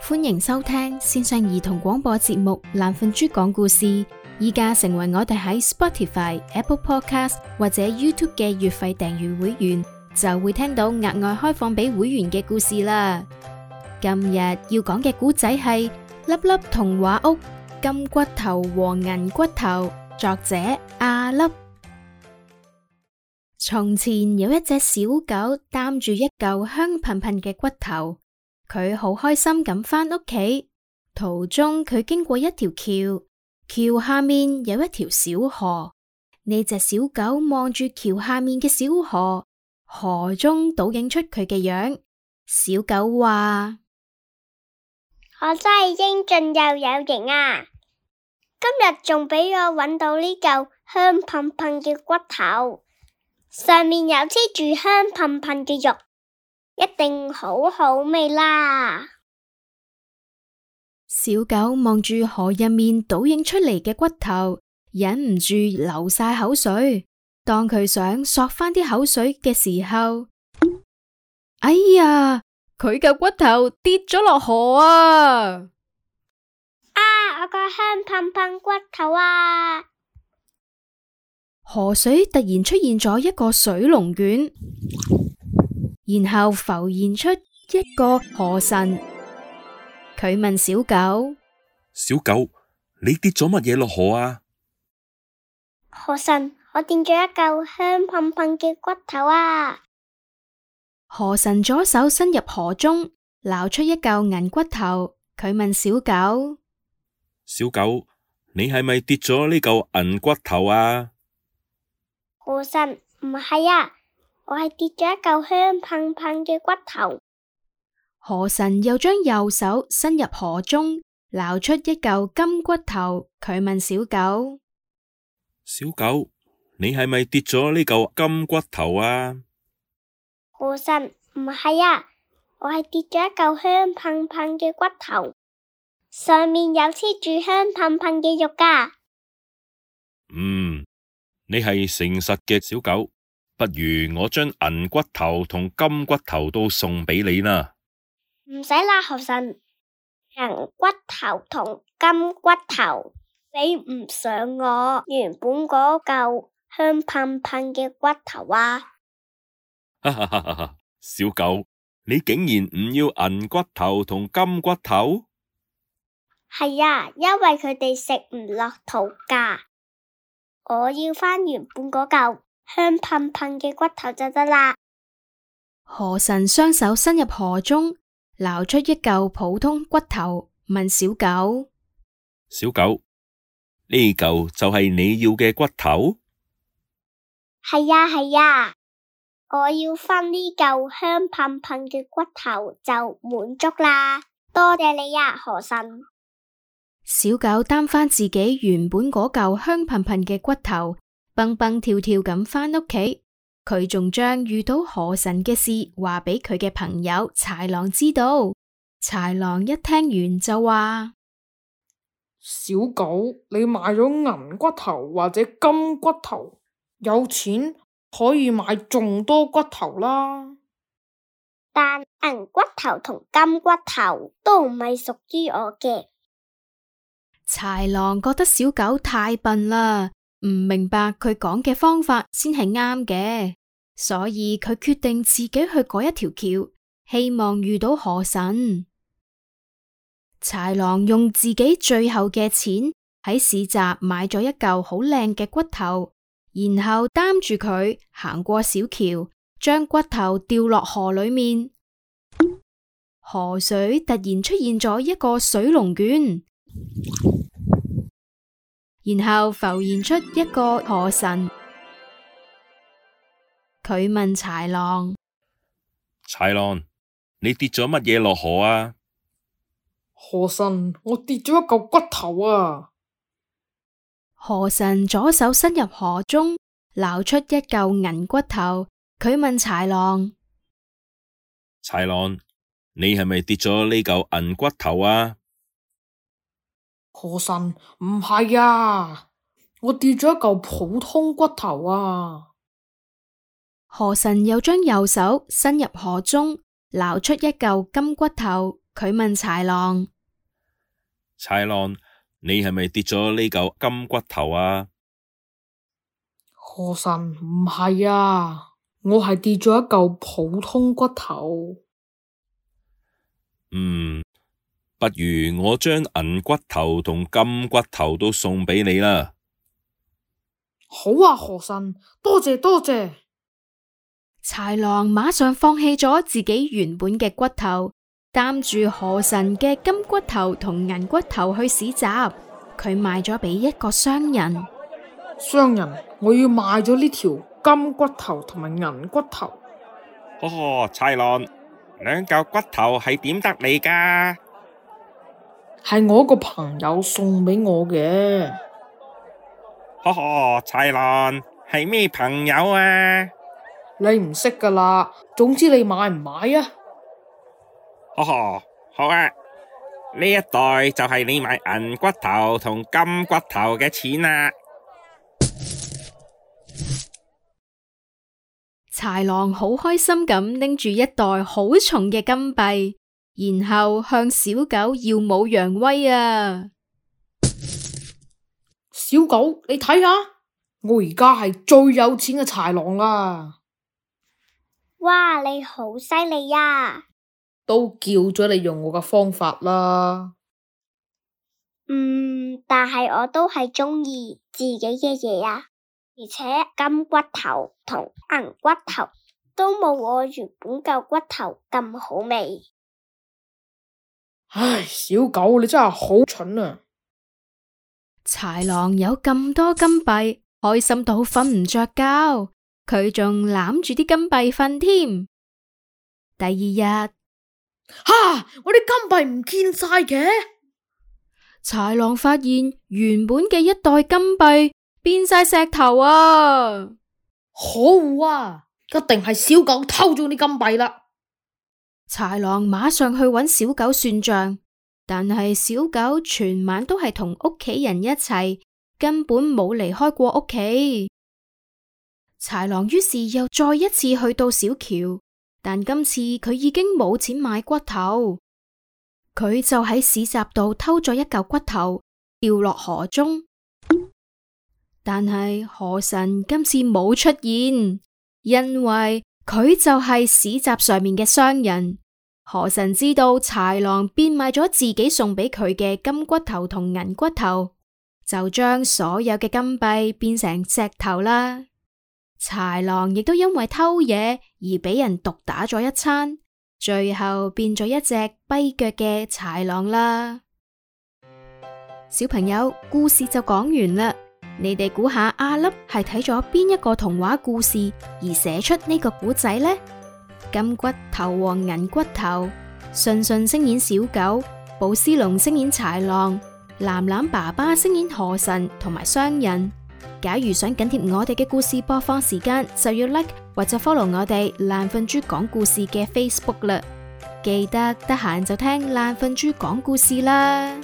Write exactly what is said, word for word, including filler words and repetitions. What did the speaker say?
歡迎收聽線上兒童廣播節目《懶瞓豬講故事》。依家成為我哋喺 Spotify、Apple Podcast 或者 YouTube 嘅月費訂閱會員，就會聽到額外開放俾會員嘅故事啦。今日要講嘅故仔係粒粒童話屋金骨頭和銀骨頭，作者阿粒。從前有一隻小狗擔住一嚿香噴噴嘅骨頭，佢好開心咁返屋企。途中佢經過一條橋，橋下面有一條小河。呢隻小狗望住橋下面嘅小河，河中倒映出佢嘅樣。小狗話：我真係英俊又有型啊！今日仲俾我搵到呢嚿香噴噴嘅骨頭，上面有黐住香噴噴嘅肉，一定好好味啦！小狗望住河入面倒映出嚟嘅骨頭，忍唔住流晒口水。當佢想索返啲口水嘅時候，哎呀，佢嚿骨頭跌咗落河啊！啊，我個香噴噴骨頭啊！河水突然出現咗一個水龍捲，然後浮現出一個河神。佢問小狗：小狗，你跌咗乜嘢落河啊？河神，我跌咗一嚿香噴噴嘅骨頭啊！河神左手伸入河中，撈出一嚿銀骨頭。佢問小狗：小狗，你係咪跌咗呢嚿銀骨頭啊？河神，唔係啊，我係跌咗一嚿香噴噴嘅骨頭。河神又將右手伸入河中，撈出一嚿金骨頭。佢問小狗：小狗，你係咪跌咗呢嚿金骨頭啊？河神，唔係啊，我係跌咗一嚿香噴噴嘅骨頭，上面有黐住香噴噴嘅肉㗎。嗯，你係誠實嘅小狗，不如我將銀骨頭同金骨頭都送俾你啦。唔使啦，河神，銀骨頭同金骨頭比唔上我原本嗰嚿香噴噴嘅骨頭啊！哈哈哈哈！小狗，你竟然唔要銀骨頭同金骨頭？係啊，因為佢哋食唔落肚㗎。我要返原本嗰嚿香噴噴嘅骨頭就得啦。河神雙手伸入河中，撈出一嚿普通骨頭，問小狗：小狗，呢嚿就係你要嘅骨頭？係呀係呀，我要返呢嚿香噴噴嘅骨頭就滿足啦。多謝你呀，河神。小狗擔返自己原本嗰嚿香噴噴嘅骨頭，蹦蹦跳跳咁返屋企。佢仲將遇到河神嘅事話俾佢嘅朋友豺狼知道。豺狼一聽完就話：小狗，你買咗銀骨頭或者金骨頭，有錢可以買仲多骨頭啦。但銀骨頭同金骨頭都唔係屬於我嘅。豺狼覺得小狗太笨啦，唔明白佢講嘅方法先係啱嘅，所以佢決定自己去過一條橋，希望遇到河神。豺狼用自己最後嘅錢喺市集買咗一嚿好靚嘅骨頭，然後擔住佢行過小橋，將骨頭掉落河裏面。河水突然出現咗一個水龍捲，然後浮現出一個河神。佢問豺狼：豺狼，你跌咗乜嘢落河啊？河神，我跌咗一嚿骨頭啊！河神左手伸入河中，撈出一嚿銀骨頭。佢問豺狼：豺狼，你係咪跌咗呢嚿銀骨頭啊？河神，唔係啊，我跌咗一嚿普通骨頭啊！河神又將右手伸入河中，撈出一嚿金骨頭。佢問豺狼：豺狼，你係咪跌咗呢嚿金骨頭啊？河神，唔係啊，我係跌咗一嚿普通骨頭。嗯，不如我將銀骨頭同金骨頭都送俾你啦。好啊，河神，多謝多謝。豺狼馬上放棄咗自己原本嘅骨頭，擔住河神嘅金骨頭同銀骨頭去市集，佢賣咗俾一個商人。商人，我要賣咗呢條金骨頭同埋銀骨頭。呵呵，豺狼，兩嚿骨頭係點得嚟㗎？係我個朋友送俾我嘅。呵呵，豺狼，係咩朋友啊？你唔識噶啦，總之你買唔買啊？呵呵，好啊，呢一袋就係你買銀骨頭同金骨頭嘅錢啊！豺狼好開心咁拎住一袋好重嘅金幣，然後向小狗耀武揚威啊！小狗，你睇下，我而家係最有錢嘅豺狼啦！哇，你好犀利呀！都叫咗你用我嘅方法啦。嗯，但係我都係鍾意自己嘅嘢啊。而且金骨頭同銀骨頭都冇我原本嚿骨頭咁好味。唉，小狗，你真係好蠢啊！豺狼有咁多金幣，開心到瞓唔着覺，佢仲攬住啲金幣瞓添。第二日，哈！我啲金幣唔見晒嘅。豺狼發現原本嘅一袋金幣變晒石頭啊！可惡啊！一定係小狗偷咗啲金幣啦！豺狼馬上去揾小狗算賬，但係小狗全晚都係同屋企人一齊，根本冇離開過屋企。豺狼於是又再一次去到小橋，但今次佢已經冇錢買骨頭，佢就喺市集度偷咗一嚿骨頭，掉落河中。但係河神今次冇出現，因為佢就係市集上面嘅商人。河神知道豺狼變賣咗自己送俾佢嘅金骨頭同銀骨頭，就將所有嘅金幣變成石頭啦。豺狼亦都因為偷嘢而俾人毒打咗一餐，最後變咗一隻跛腳嘅豺狼啦。小朋友，故事就講完啦。你哋估下阿粒係睇咗邊一個童話故事而寫出呢個古仔呢？金骨頭和銀骨頭，順順聲演小狗，寶斯龍聲演豺狼，藍藍爸爸聲演河神同埋商人。假如想緊貼我哋嘅故事播放時間，就要 like 或者 follow 我哋爛瞓豬講故事嘅 Facebook 啦。記得得閒就聽爛瞓豬講故事啦。